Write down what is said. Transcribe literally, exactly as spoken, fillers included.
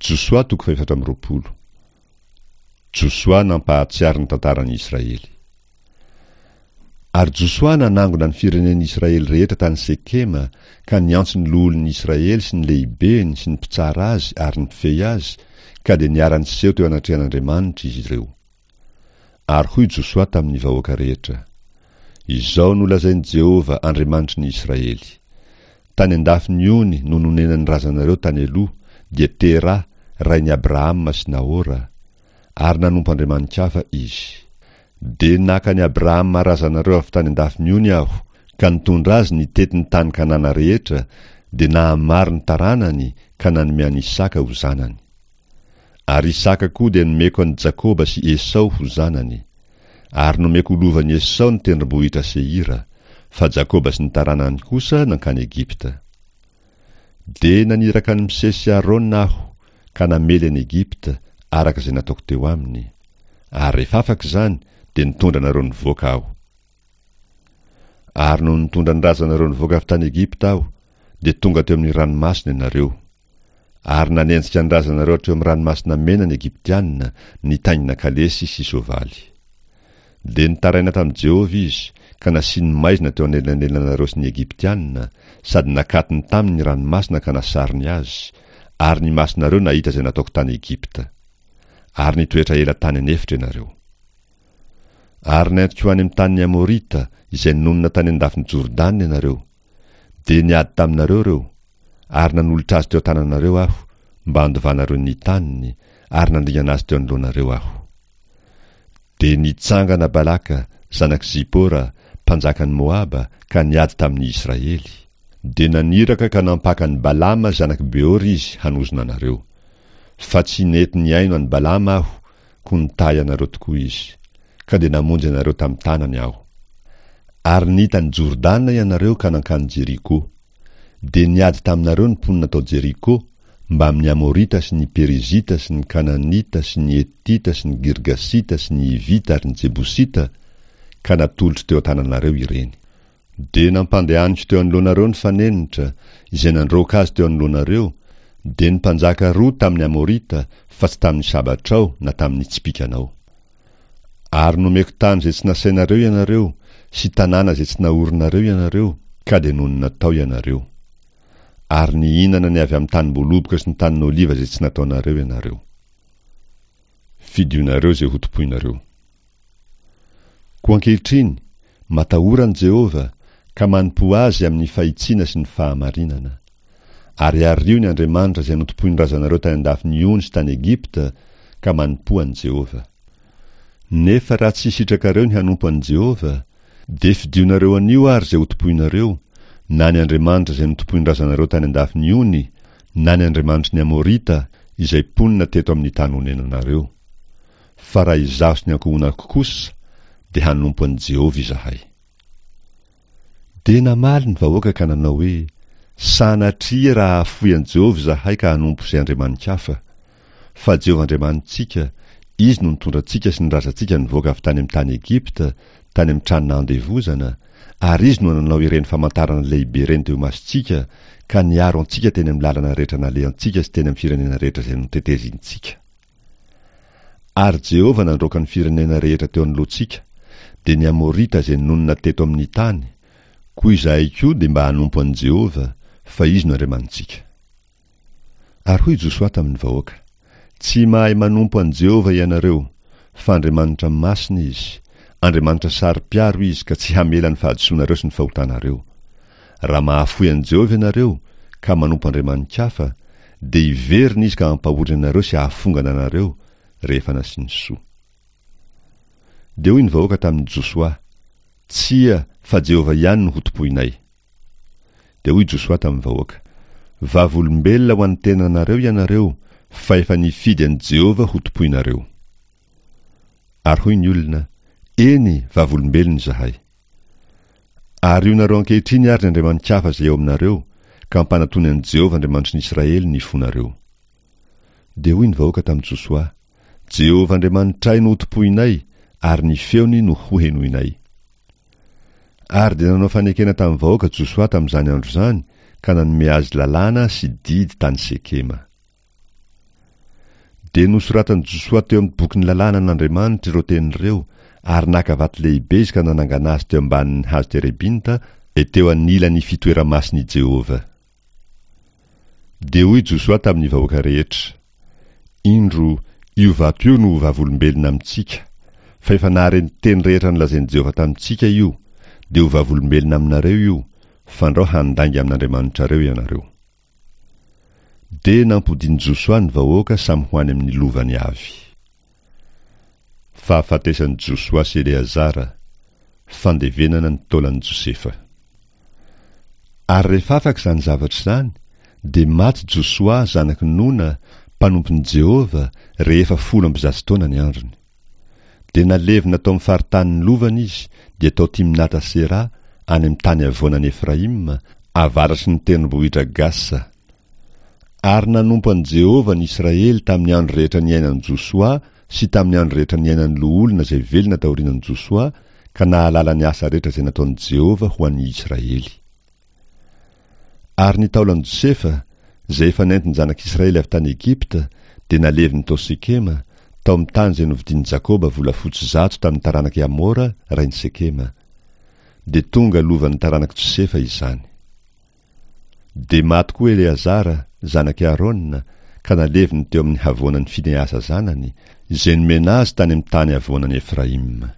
Josoa toko fahefatra amby roapolo. Josoa nampahatsiaro ny tantaran'i Israely. Ary Josoa nanangona ny firenen'i Israely rehetra tany Sekema ka niantso ny loholon'i Israely sy ny lehibeny sy ny mpitsara azy ary ny mpifehy azy, ka dia niara-niseho teo anatrehan'Andriamanitra izy ireo. Ary hoy Josoa tamin'ny vahoaka rehetra, Izao no lazain'i Jehovah, Andriamanitry ny Israely, Tany an-dafin'ny ony no nonenan'ny razanareo tany aloha, dia Tera, rain'i Abrahama sy Nahora, ary nanompo andriamani-kafa izy. Dia naka an'i Abrahama razanareo avy tany an-dafin'ny ony Aho, ka nitondra azy nitety ny tany Kanana rehetra, dia nahamaro ny taranany ka nanome an'i Isaka ho zanany. Ary Isaka koa dia nomeko an'i Jakoba sy Esao ho zanany. Ary nomeko ho lovan'i Esao ny tendrombohitra Seira, fa Jakoba sy ny taranany kosa nankany Egypta. Dia naniraka an'i Mosesy sy Arona Aho, ka namely an'i Egypta, araka izay nataoko teo aminy. Ary rehefa afaka izany, dia nitondra anareo nivoaka Aho. Ary nony nitondra ny razanareo nivoaka avy tany Egypta Aho, dia tonga teo amin'ny ranomasina ianareo. Ary nanenjika ny razanareo hatreo amin'ny Ranomasina Mena ny Egyptiana, nitaingina kalesy sy soavaly. Dia nitaraina tamin'i Jehovah izy, ka nasiany maizina teo anelanelanareo sy ny Egyptiana, sady nakatony taminy ny ranomasina ka nasarony azy, ary ny masonareo nahita izay nataoko tany Egypta. Ary nitoetra ela tany an'efitra ianareo. Ary nentiko ho any amin'ny tanin'ny Amorita, izay nonina tany an-dafin'i Jordana ianareo. Dia niady taminareo ireo, ary nanolotra azy teo an-tananareo Aho, mba handovanareo ny taniny, ary nandringana azy teo anoloanareo Aho. Dia nitsangana Balaka, zanak'i Zipora, mpanjakan'i Moaba, ka niady tamin'ny Israely. Dia naniraka ka nampaka an'i Balama zanak'i Beora izy hanozona anareo. Fa tsy nety nihaino an'i Balama Aho, koa nitahy anareo tokoa izy. Ka dia namonjy anareo tamin'ny tanany Aho. Ary nita an'i Jordana ianareo ka nankany Jeriko. Dia niady taminareo ny mponina tao Jeriko, mbamin'ny Amorita sy ny Perizita sy ny Kananita sy ny Hetita sy ny Girgasita sy ny Hivita ary ny Jebosita, ka natolotro teo an-tananareo ireny. Dia nampandehaniko teo anoloanareo ny fanenitra, izay nandroaka azy teo anoloanareo, dia ny mpanjaka roa tamin'ny Amorita, fa tsy tamin'ny sabatrao na tamin'ny tsipìkanao. Ary nomeko tany izay tsy nasainareo ianareo, sy tanàna izay tsy naorinareo ianareo, ka dia nonina tao ianareo. Ary nihinana ny avy amin'ny tanim-boaloboka sy ny tanin'oliva izay tsy nataonareo ianareo. Fidionareo izay hotompoinareo. Koa ankehitriny, matahora an'i Jehovah, ka manompoa Azy amin'ny fahitsiana sy ny fahamarinana. Ary ario ny andriamanitra izay notompoin'ny razanareo tany an-dafin'ny ony sy tany Egypta, ka manompoa an'i Jehovah. Nefa raha tsy sitrakareo ny hanompo an'i Jehovah, dia fidionareo anio àry izay hotompoinareo, na ny andriamanitra izay notompoin'ny razanareo tany an-dafin'ny ony, na ny andriamanitry ny Amorita, izay mponina teto amin'ny tany onenanareo. Fa raha izaho sy ny ankohonako kosa, dia hanompo an'i Jehovah izahay. Dia namaly ny vahoaka ka nanao hoe, Sanatria raha hahafoy an'i Jehovah izahay ka hanompo izay andriamani-kafa! Fa Jehovah Andriamanitsika, Izy no nitondra antsika sy ny razantsika nivoaka avy tany amin'ny tany Egypta, tany amin'ny trano nahandevozana, ary Izy no nanao ireny famantarana lehibe ireny teo imasontsika, ka niaro antsika teny amin'ny lalana rehetra nalehantsika sy teny amin'ny firenena rehetra izay notetezintsika. Ary Jehovah nandroaka ny firenena rehetra teo anoloantsika, dia ny Amorita izay nonina teto amin'ny tany, koa izahay koa dia mba hanompo an'i Jehovah, fa Izy no Andriamanitsika. Ary hoy Josoa tamin'ny vahoaka, Tsy mahay manompo an'i Jehovah ianareo, fa Andriamanitra masina Izy, Andriamanitra saro-piaro Izy ka tsy hamela ny fahadisoanareo sy ny fahotanareo. Raha mahafoy an'i Jehovah ianareo, ka manompo andriamani-kafa, dia hiverina Izy ka hampahory anareo sy hahafongana anareo, rehefa nasiany soa. Dia hoy ny vahoaka tamin'i Josoa, Tsia, fa Jehovah ihany no hotompoinay. Dia hoy Josoa tamin'ny vahoaka, Vavolombelona ho an'ny tenanareo ianareo, fa efa nifidy an'i Jehovah hotompoinareo. Ary hoy ny olona, Eny, vavolombelona izahay. Arionareo ankehitriny àry ny andriamani-kafa izay eo aminareo, ka ampanatony an'i Jehovah Andriamanitry ny Israely ny fonareo. Dia hoy ny vahoaka tamin'i Josoa, Jehovah Andriamanitray no hotompoinay, ary ny feony no hohenoinay. Ary dia nanao fanekena tamin'ny vahoaka Josoa tamin'izany andro izany, ka nanome azy lalàna sy didy tany Sekema. Dia nosoratan'i Josoa teo amin'ny bokin'ny lalànan'Andriamanitra ireo teny ireo, ary naka vato lehibe izy ka nanangana azy teo ambanin'ny hazo terebinta, dia teo anilan'ny fitoera-masin'i Jehovah. Dia hoy Josoa tamin'ny vahoaka rehetra, Indro, io vato io no ho vavolombelona amintsika, fa efa nahare ny teny rehetra nolazain'i Jehovah tamintsika io, dia ho vavolombelona aminareo io, fandrao handainga amin'Andriamanitrareo ianareo. Dia nampodian'i Josoa ny vahoaka samy ho any amin'ny lovany avy. Fahafatesan'i Josoa sy Eleazara, fandevenana ny taolan'i Josefa. Ary rehefa afaka izany zavatra izany, dia maty Josoa zanak'i Nona, mpanompon'i Jehovah, rehefa folo amby zato taona ny androny. Dia nalevina tao amin'ny faritanin'ny lovany izy, dia tao Timnata-Sera, any amin'ny tany havoanan'i Efraima, avaratry ny tendrombohitra Gasa. Ary nanompo an'i Jehovah ny Israely tamin'ny andro rehetra niainan'i Josoa sy tamin'ny andro rehetra niainan'ny loholona izay velona taorian'i Josoa, ka nahalala ny asa rehetra izay nataon'i Jehovah ho an'ny Israely. Ary ny taolan'i Josefa, izay efa nentin'ny zanak'Israely avy tany Egypta, dia naleviny tao Sekema, tao amin'ny tany izay novidian'i Jakoba volafotsy zato tamin'ny taranak'i Hamora, rain'i Sekema. Dia tonga lovan'ny taranak'i Josefa izany. Dia maty koa Eleazara, zanak'i Arona, ka naleviny teo amin'ny havoanan'i Finehasa zanany, izay nomena azy tany amin'ny tany havoanan'i Efraima.